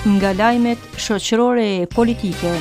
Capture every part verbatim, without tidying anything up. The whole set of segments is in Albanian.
Nga lajmet shoqërore e politike.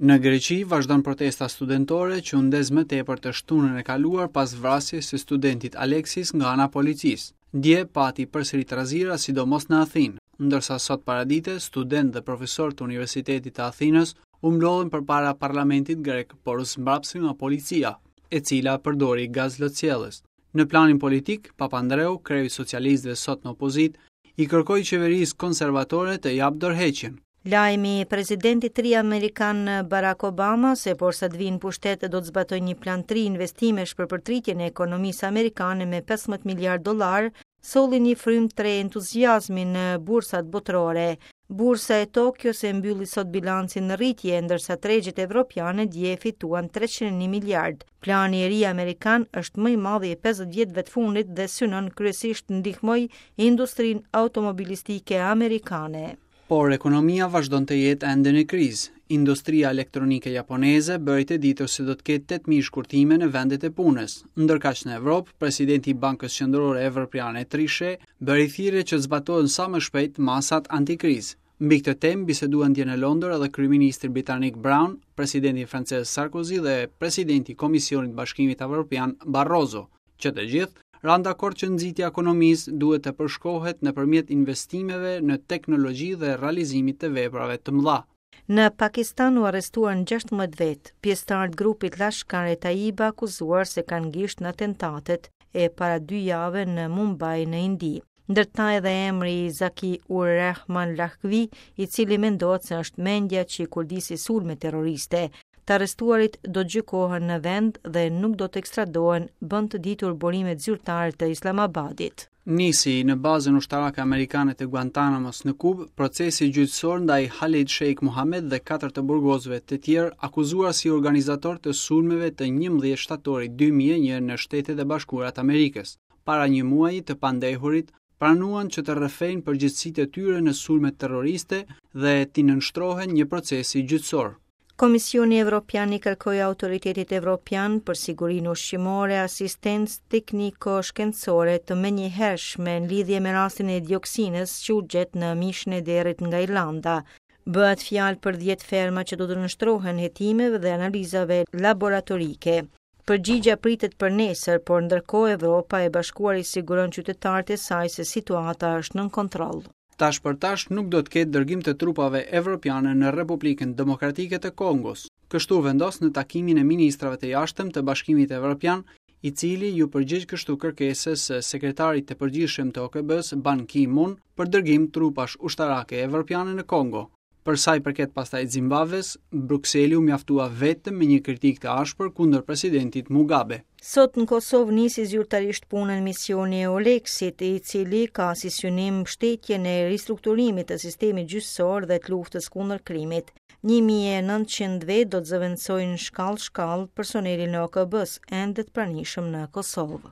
Në Greqi vazhdon protesta studentore që u ndez më tepër të shtunën e kaluar pas vrasjes së studentit Alexis nga ana policisë. Dje pati përsëri trazira, sidomos në Athinë, ndërsa sot paradite studentë dhe profesorë të Universitetit të Athinës u mblodhën përpara parlamentit grek, por u zmbrapsën nga policia, e cila përdori gaz lotsjellës. Në planin politik, Papandreou, kreu i socialistëve sot në opozitë, i kërkoi qeverisë konservatore të japë dorëheqjen. Lajmi i presidentit të ri amerikan Barack Obama se porsa të vinë pushtet do të zbatojë një plan të ri investimesh për përtritjen e ekonomisë amerikane me pesëmbëdhjetë miliard dollar, solli një frymë të re entuziazmi në bursat botërore. Bursa e Tokios e mbylli sot bilancin në rritje, ndërsa tregjet evropiane dje fituan treqind e një miliard. Plani i ri amerikan është më i madhi i pesëdhjetë vjetëve të fundit dhe synon kryesisht ndihmoj industrinë automobilistike amerikane. Por ekonomia vazhdon të jetë ende në krizë. Industria elektronike japoneze bëri të ditur se do të ketë tetë mijë shkurtime në vendet e punës. Ndërkaq në Evropë, presidenti i Bankës Qendrore Evropiane Trichet bëri thirrje që të zbatohen sa më shpejt masat antikrizë. Mbi këtë temë biseduan dje në Londër edhe kryeministri britanik Brown, presidenti francez Sarkozy dhe presidenti i Komisionit të Bashkimit Evropian Barroso, që të gjithë ranë dakord që nxitja e ekonomisë duhet të përshkohet nëpërmjet investimeve në teknologji dhe realizimit të veprave të mëdha. Në Pakistan u arrestuan gjashtëmbëdhjetë vetë, pjesëtarë të grupit Lashkar e Taiba akuzuar se kanë gisht në atentatet e para dy jave në Mumbai në Indi. Ndër ta edhe emri i Zaki Ur Rehman Lakhvi, i cili mendohet se është mendja që i kurdisi sulme terroriste. Të arrestuarit do të gjykohen në vend dhe nuk do të ekstradohen, bën të ditur burimet zyrtare të Islamabadit. Nisi në bazën ushtarake amerikane të Guantanamos në Kubë, procesi gjyqësor ndaj Khalid Sheikh Mohammed dhe katër të burgosve të tjerë akuzuar si organizator të sulmeve të njëmbëdhjetë shtatorit dy mijë e një në Shtetet e Bashkuara të Amerikës. Para një muaji të pandehurit pranuan që të rrëfejnë përgjegjësitë e tyre në sulmet terroriste dhe t'i nënshtrohen një procesi gjyqësor. Komisioni Evropian i kërkoi Autoritetit Evropian për Sigurinë Ushqimore asistencë tekniko-shkencore të menjëhershme në lidhje me rastin e dioksinës që u gjet në mishin e derrit nga Irlanda. Bëhet fjalë për dhjetë ferma që do të nënshtrohen hetimeve dhe analizave laboratorike. Përgjigja pritet për nesër, por ndërkohë Evropa e Bashkuar i siguron qytetarët e saj se situata është nën kontroll. Tash për tash nuk do të ketë dërgim të trupave evropiane në Republikën Demokratike të Kongos. Kështu vendos në takimin e ministrave të jashtëm të Bashkimit Evropian, i cili ju përgjigj kështu kërkesës së sekretarit të përgjithshëm të O K B-s Ban Ki-moon për dërgim trupash ushtarake evropiane në Kongo. Për sa i përket pastaj Zimbabves, Brukseli u mjaftua vetëm me një kritikë të ashpër kundër presidentit Mugabe. Sot në Kosovë nisi zyrtarisht punën misioni e Eulexit, i cili ka si synim mbështetjen e ristrukturimit të sistemit gjyqësor dhe të luftës kundër krimit. Një mijë e nëntëqind vetë do të zëvendësojnë shkallë shkallë personelin e O K B-s, ende të pranishëm në Kosovë.